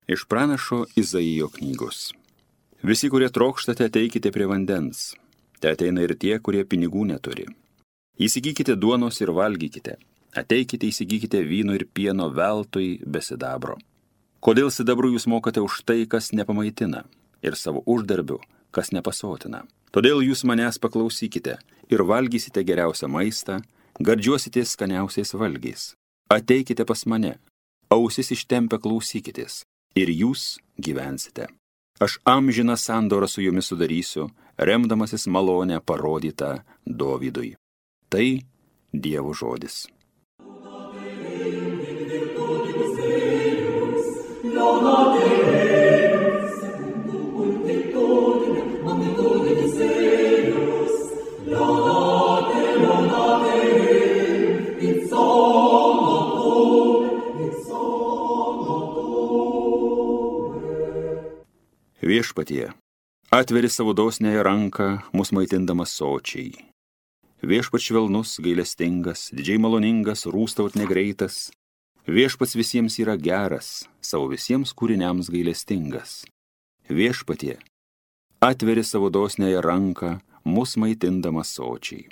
Iš pranašo Izaijo knygos. Visi, kurie trokštate, ateikite prie vandens. Te ateina ir tie, kurie pinigų neturi. Įsigykite duonos ir valgykite. Ateikite, įsigykite vyno ir pieno veltui be sidabro. Kodėl sidabru jūs mokate už tai, kas nepamaitina, ir savo uždarbiu, kas nepasotina? Todėl jūs manęs paklausykite ir valgysite geriausią maistą, gardžiuosite skaniausiais valgiais. Ateikite pas mane, ausis ištempę klausykitės, ir jūs gyvensite. Aš amžiną sandorą su jumis sudarysiu, remdamasis malonę parodytą Dovydui. Tai Dievo žodis. Viešpatie, atveri savo dosniąją ranką, mus maitindamas sočiai. Viešpats švelnus, gailestingas, didžiai maloningas, rūstaut negreitas. Viešpats visiems yra geras, savo visiems kūriniams gailestingas. Viešpatie, atveri savo dosniąją ranką, mus maitindamas sočiai.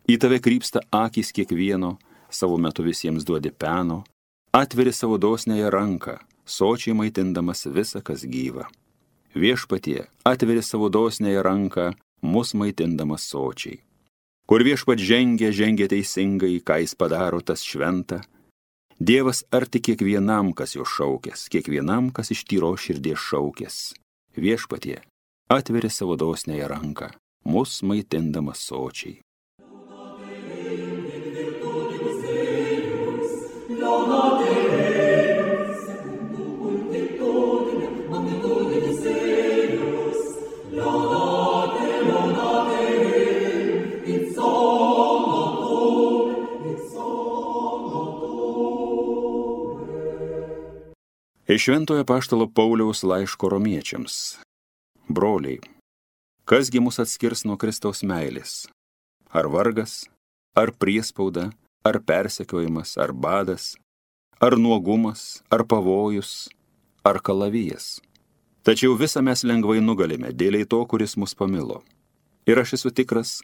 Į tave krypsta akys kiekvieno, savo metu visiems duodi peno. Atveri savo dosniąją ranką, sočiai maitindamas visą, kas gyva. Viešpatie, atveri savo dosniąją ranką, mus maitindamas sočiai. Kur viešpat žengia teisingai, ką jis padaro, tas šventa. Dievas arti kiekvienam, kas jo šaukės, kiekvienam, kas iš tyros širdies šaukės. Viešpatie, atveri savo dosniąją ranką, mus maitindamas sočiai. Iš Šventojo apaštalo Pauliaus laiško romiečiams. Broliai, kasgi mus atskirs nuo Kristaus meilės? Ar vargas, ar priespauda, ar persekiojimas, ar badas, ar nuogumas, ar pavojus, ar kalavijas? Tačiau visą mes lengvai nugalime dėliai to, kuris mus pamilo. Ir aš esu tikras,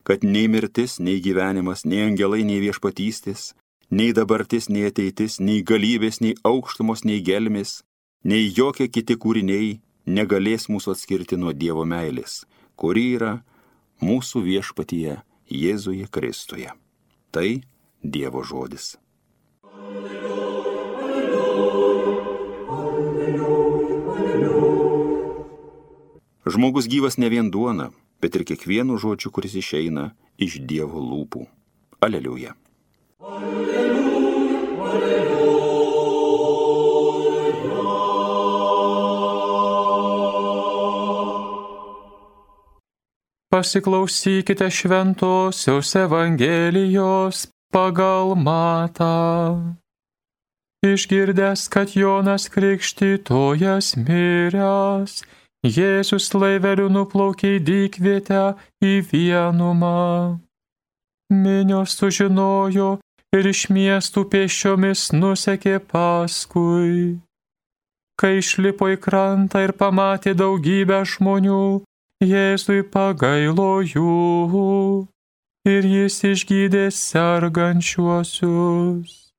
kad nei mirtis, nei gyvenimas, nei angelai, nei viešpatystės, nei dabartis, nei ateitis, nei galybės, nei aukštumos, nei gelmės, nei jokie kiti kūriniai negalės mūsų atskirti nuo Dievo meilės, kuri yra mūsų viešpatyje Jėzuje Kristuje. Tai Dievo žodis. Žmogus gyvas ne vien duona, bet ir kiekvienu žodžiu, kuris išeina iš Dievo lūpų. Aleliuja. Pasiklausykite šventosios Evangelijos pagal Matą. Išgirdęs, kad Jonas Krikštytojas miręs, Jėzus laiveliu nuplaukė į dykvietę į vienumą. Minios sužinojo ir iš miestų pėsčiomis nusekė paskui. Kai išlipo į krantą ir pamatė daugybę žmonių, Jėzui pagailo jų ir jis išgydė sergančiuosius.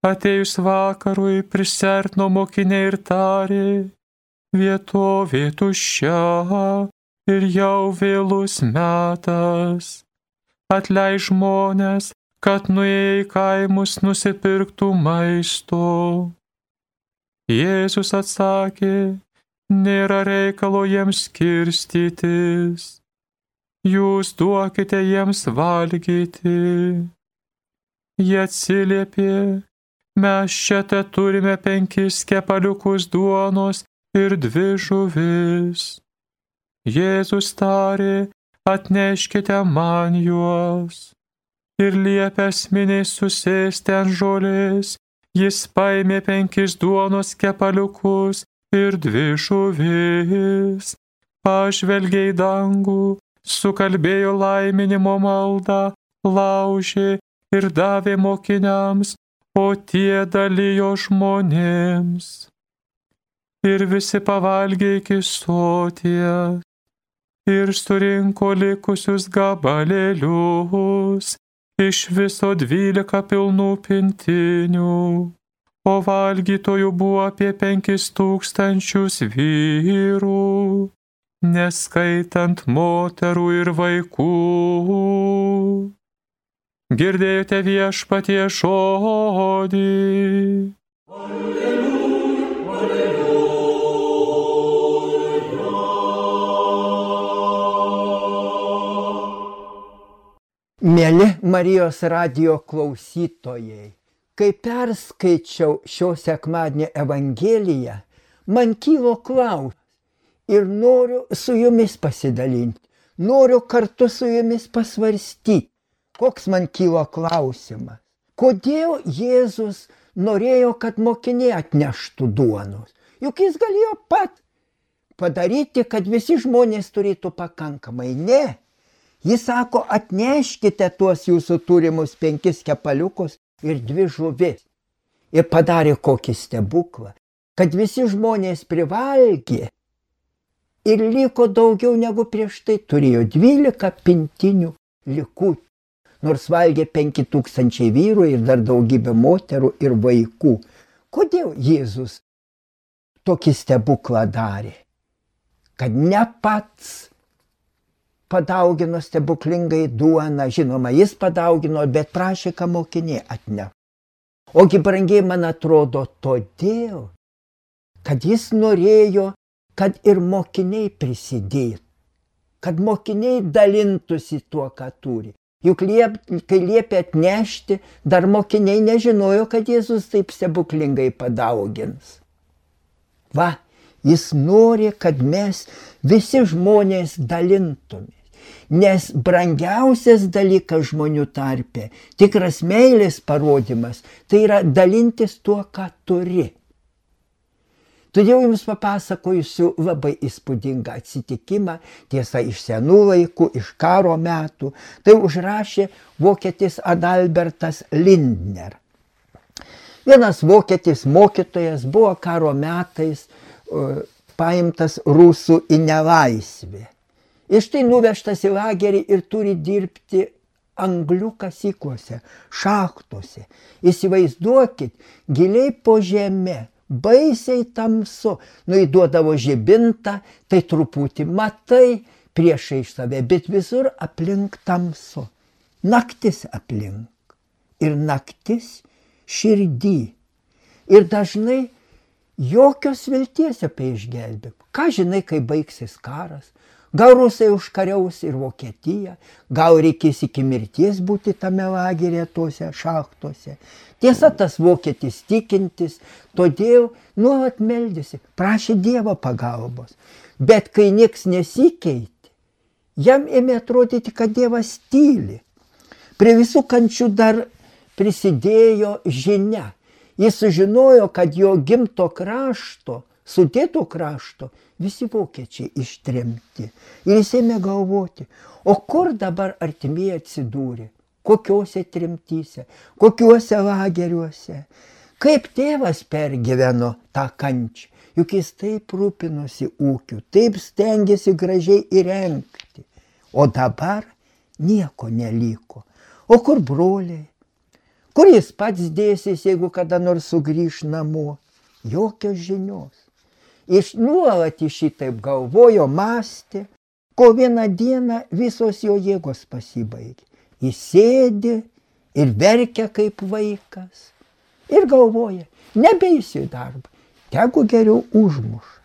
Atėjus vakarui prisiartino mokiniai ir tarė: vietovė tuščia ir jau vėlus metas. Atleidk žmones, kad nuėję į kaimus nusipirktų maisto. Jėzus atsakė: nėra reikalo jiems skirstytis. Jūs duokite jiems valgyti. Jie atsiliepė: mes čia te turime 5 kepaliukus duonos ir 2 žuvis. Jėzus tarė: atneškite man juos. Ir liepęs miniai susėsti ant žolės, jis paėmė 5 duonos kepaliukus ir 2 žuvis, pažvelgė į dangų, sukalbėjo laiminimo maldą, laužė ir davė mokiniams, o tie dalijo žmonėms. Ir visi pavalgė iki soties. Ir surinko likusius gabalėlius, iš viso 12 pilnų pintinių. O valgytojų buvo apie 5000 vyrų, neskaitant moterų ir vaikų. Girdėjote Viešpatie žodį. Mieli Marijos radijo klausytojai, kai perskaičiau šio sekmadienio Evangeliją, man kilo klausimas ir noriu su jumis pasidalinti, noriu kartu su jumis pasvarstyti, koks man kilo klausimas. Kodėl Jėzus norėjo, kad mokiniai atneštų duonos? Juk jis galėjo pat padaryti, kad visi žmonės turėtų pakankamai. Ne. Jis sako, atneškite tuos jūsų turimus 5 kepaliukus ir 2 žuvis. Ir padarė kokį stebuklą, kad visi žmonės privalgė ir liko daugiau negu prieš tai turėjo 12 pintinių likutį. Nors valgė 5000 vyrų ir dar daugybė moterų ir vaikų. Kodėl Jėzus tokį stebuklą darė? Kad ne pats padaugino stebuklingai duoną, žinoma, jis padaugino, bet prašė, kad mokiniai atneš. Ogi brangiai, man atrodo, todėl, kad jis norėjo, kad ir mokiniai prisidėtų, kad mokiniai dalintųsi tuo, ką turi. Juk kai liepė atnešti, dar mokiniai nežinojo, kad Jėzus taip stebuklingai padaugins. Va, jis nori, kad mes visi žmonės dalintumės. Nes brangiausias dalykas žmonių tarpe, tikras meilės parodimas, tai yra dalintis tuo, ką turi. Todėl jums papasakosiu labai įspūdingą atsitikimą, tiesa, iš senų laikų, iš karo metų. Tai užrašė vokietis Adalbertas Lindner. Vienas vokietis mokytojas buvo karo metais paimtas rusų į nelaisvę. Ir štai nuvežtas į lagerį ir turi dirbti anglių kasyklose, šachtose. Įsivaizduokit, giliai po žeme, baisiai tamsu, įduodavo žibintą, tai truputį matai priešai save, bet visur aplink tamsu. Naktis aplink. Ir naktis širdį. Ir dažnai jokios vilties apie išgelbėjimą. Ką žinai, kai baigsis karas? Gal rusai užkariaus ir Vokietiją, gal reikės iki mirties būti tame lageryje tuose šachtose. Tiesa, tas vokietis tikintis, todėl nuolat meldėsi, prašė Dievo pagalbos. Bet kai nieks nesikeitė, jam ėmė atrodyti, kad Dievas tyli. Prie visų kančių dar prisidėjo žinia. Jis sužinojo, kad jo gimto krašto, Sudėto krašto, visi vokiečiai ištremti. Ir jis ėmė galvoti, o kur dabar artimieji atsidūrė, kokiuose tremtyse, kokiuose lageriuose. Kaip tėvas pergyveno tą kančią, juk jis taip rūpinosi ūkiu, taip stengėsi gražiai įrengti. O dabar nieko neliko. O kur broliai? Kur jis pats dėsis, jeigu kada nors sugrįš namo? Jokios žinios. Iš nuolat šitaip galvojo, mąstė, kol vieną dieną visos jo jėgos pasibaigė. Jis sėdi ir verkia kaip vaikas. Ir galvoja, nebeisiu į darbą, tegu geriau užmuša.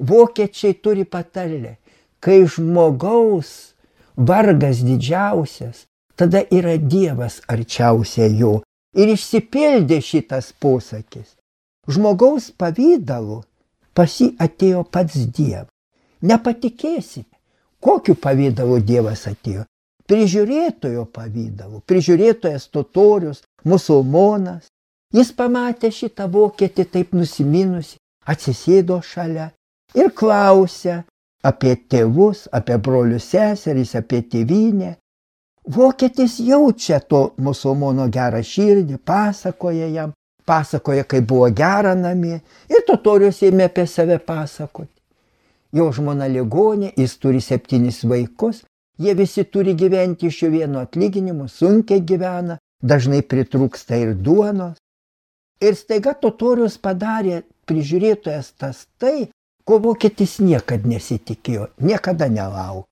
Vokiečiai turi patarlę, kai žmogaus vargas didžiausias, tada yra Dievas arčiausia jo. Ir išsipildė šitas posakis. Žmogaus pavydalu pas jį atėjo pats Dievas. Nepatikėsite, kokiu pavydalu Dievas atėjo. Prižiūrėtojo pavydalu. Prižiūrėtojas totorius, musulmonas. Jis pamatė šitą vokietį taip nusiminusi, atsisėdo šalia ir klausė apie tėvus, apie brolius seserys, apie tėvynę. Vokietis jaučia to musulmono gerą širdį, pasakoja jam, pasakoja, kaip buvo gera namie, ir totorius ėmė apie save pasakoti. Jo žmona ligonė, jis turi 7 vaikus, jie visi turi gyventi iš jo vieno atlyginimu, sunkiai gyvena, dažnai pritrūksta ir duonos. Ir staiga totorius padarė prižiūrėtojas tas tai, ko vokietis niekada nesitikėjo, niekada nelaukė.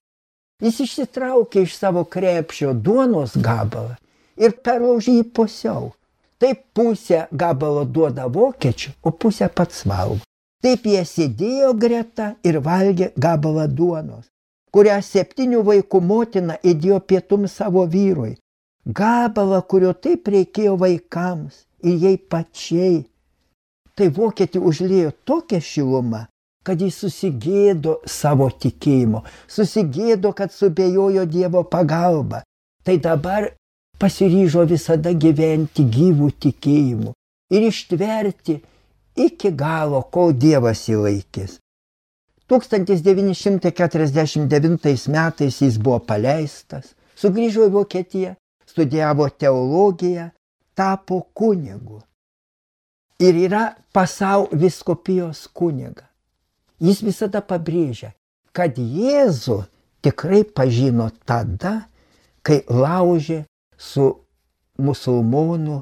Jis išsitraukė iš savo krepšio duonos gabalą ir perlaužė jį pusiau. Taip pusę gabalo duoda vokiečių, o pusę pats valgo. Taip jie sėdėjo greta ir valgė gabalą duonos, kurią 7 vaikų motina įdėjo pietums savo vyrui. Gabalą, kurio taip reikėjo vaikams ir jai pačiai. Tai vokietį užliejo tokia šiluma, kad jis susigėdo savo tikėjimo, susigėdo, kad subejojo Dievo pagalba. Tai dabar pasiryžo visada gyventi gyvų tikėjimu ir ištverti iki galo, kol Dievas įlaikys. 1949 metais jis buvo paleistas, sugrįžo į Vokietiją, studijavo teologiją, tapo kunigu. Ir yra Passau vyskupijos kuniga. Jis visada pabrėžia, kad Jėzų tikrai pažino tada, kai laužė su musulmonų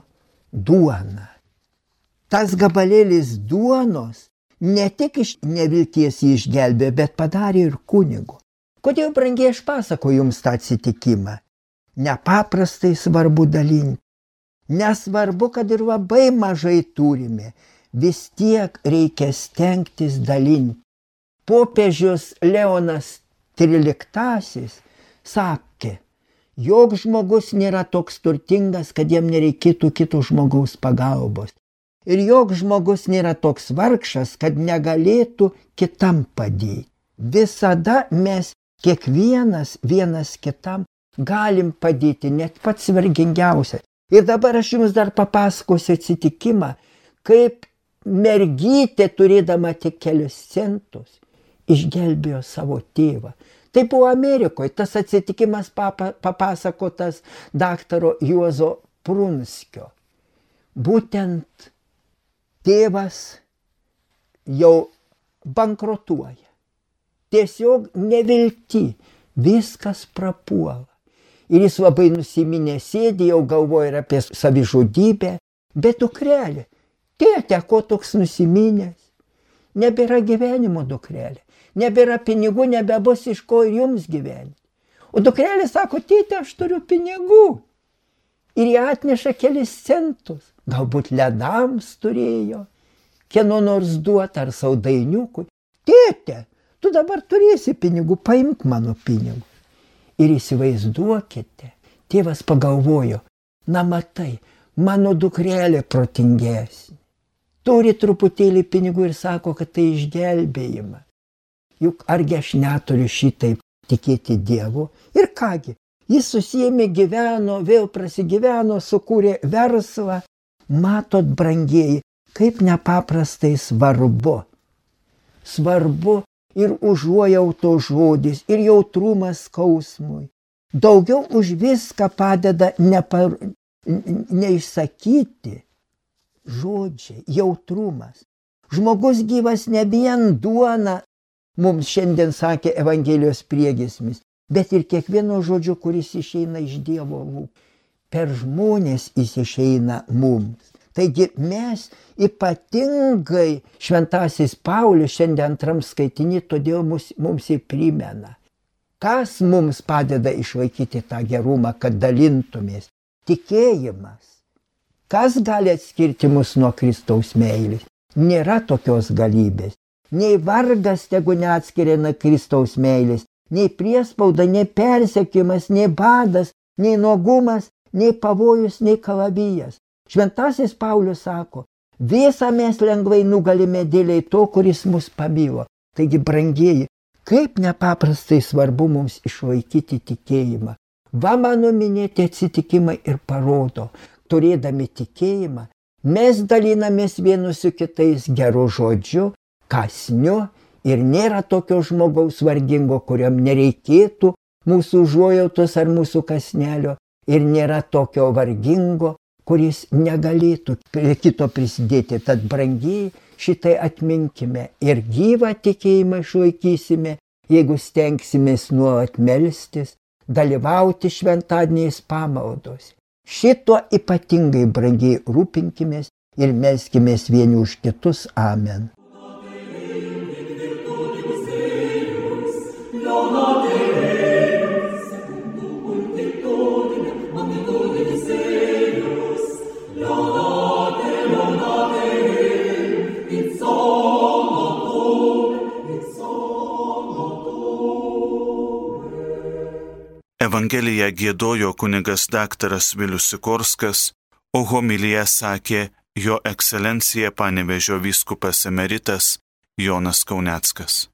duona. Tas gabalėlis duonos ne tik iš nevilties jį išgelbėjo, bet padarė ir kunigu. Kodėl, brangiai, aš pasakoju jums tą atsitikimą? Nepaprastai svarbu dalinti. Nesvarbu, kad ir labai mažai turime, vis tiek reikia stengtis dalinti. Popiežius Leonas XIII sakė, jog žmogus nėra toks turtingas, kad jam nereikėtų kito žmogaus pagalbos. Ir jog žmogus nėra toks vargšas, kad negalėtų kitam padėti. Visada mes kiekvienas vienas kitam galim padėti, net pats vargingiausias. Ir dabar aš jums dar papasakosiu atsitikimą, kaip mergytė, turėdama tik kelius centus, išgelbėjo savo tėvą. Tai buvo Amerikoje, tas atsitikimas papasakotas daktaro Juozo Prunskio. Būtent tėvas jau bankrotuoja. Tiesiog nevilti, viskas prapuola. Ir jis labai nusiminę sėdi, jau galvoja ir apie savižudybę, bet dukrelė, tėte, ko toks nusiminęs? Nebėra gyvenimo, dukrelė. Nebėra pinigų, nebebus iš ko ir jums gyventi. O dukrelė sako, tėte, aš turiu pinigų. Ir jie atneša kelis centus. Galbūt ledams turėjo, kieno nors duoti ar saldainiukui. Tėte, tu dabar turėsi pinigų, paimk mano pinigų. Ir įsivaizduokite, tėvas pagalvojo, na matai, mano dukrelė protingesnė. Turi truputėlį pinigų ir sako, kad tai išgelbėjimas. Juk argi aš neturiu šitaip tikėti Dievu? Ir kągi, jis susiėmė, gyveno, vėl prasigyveno, sukūrė verslą. Matot, brangieji, kaip nepaprastai svarbu. Svarbu ir užuojauto žodis, ir jautrumas skausmui. Daugiau už viską padeda neišsakyti žodžiai, jautrumas. Žmogus gyvas ne vien duona, mums šiandien sakė Evangelijos priegiesmis, bet ir kiekvieno žodžio, kuris išeina iš Dievo lūpų. Per žmonės jis išeina mums. Taigi mes ypatingai, šventasis Paulius šiandien antram skaitiny, todėl mums ir primena. Kas mums padeda išlaikyti tą gerumą, kad dalintumės? Tikėjimas. Kas gali atskirti mus nuo Kristaus meilės? Nėra tokios galybės. Nei vargas tegu neatskiria nuo Kristaus meilės, nei priespauda, nei persekiojimas, nei badas, nei nuogumas, nei pavojus, nei kalavijas. Šventasis Paulius sako, visą mes lengvai nugalime dėliai to, kuris mus pamilo. Taigi, brangieji, kaip nepaprastai svarbu mums išlaikyti tikėjimą. Va mano minėti atsitikimai ir parodo, turėdami tikėjimą, mes dalinamės vienus su kitais geru žodžiu, kasniu, ir nėra tokio žmogaus vargingo, kuriam nereikėtų mūsų užuojautos ar mūsų kasnelio, ir nėra tokio vargingo, kuris negalėtų prie kito prisidėti. Tad brangiai šitai atminkime ir gyvą tikėjimą išlaikysime, jeigu stengsimės nuolat melstis, dalyvauti šventadieniais pamaldose. Šito ypatingai brangiai rūpinkimės ir melskimės vieni už kitus. Amen. Evangeliją giedojo kunigas daktaras Vilius Sikorskas, o homiliją sakė jo ekscelencija Panevėžio vyskupas emeritas Jonas Kauneckas.